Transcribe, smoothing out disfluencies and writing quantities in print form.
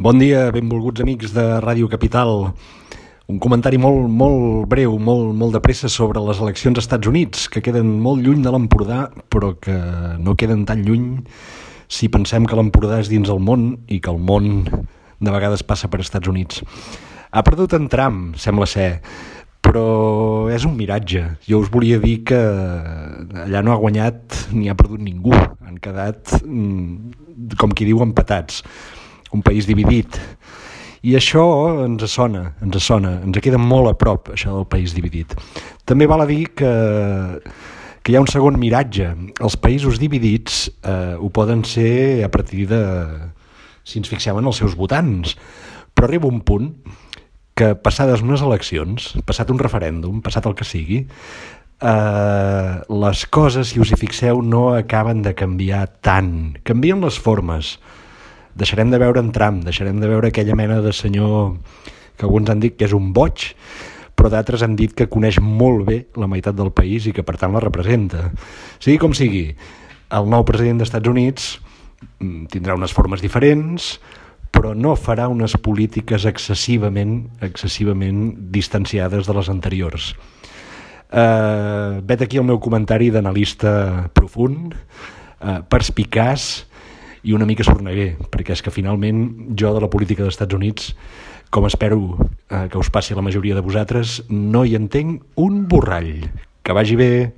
Bon dia, benvolguts amics de Ràdio Capital. Un comentari molt breu, molt de pressa sobre les eleccions als Estats Units, que queden molt lluny de l'Empordà, però que no queden tan lluny si pensem que l'Empordà és dins el món i que el món de vegades passa per Estats Units. Ha perdut en Trump, sembla ser, però és un miratge. Jo us volia dir que allà no ha guanyat ni ha perdut ningú. Han quedat, com qui diu, empatats. Un país dividit. I això ens sona, ens queda molt a prop, això del país dividit. També val a dir que hi ha un segon miratge. Els països dividits ho poden ser a partir de, si ens fixem en els seus votants, però arriba un punt que passades unes eleccions, passat un referèndum, passat el que sigui, les coses, si us hi fixeu, no acaben de canviar tant. Canvien les formes. Deixarem de veure en Trump, deixarem de veure aquella mena de senyor que alguns han dit que és un boig, però d'altres han dit que coneix molt bé la meitat del país i que per tant la representa. Sigui com sigui, el nou president dels Estats Units tindrà unes formes diferents, però no farà unes polítiques excessivament distanciades de les anteriors. Vet aquí el meu comentari d'analista profund, perspicaç i una mica sorneguer, perquè és que finalment jo de la política dels Estats Units, com espero que us passi a la majoria de vosaltres, no hi entenc un borrall. Que vagi bé!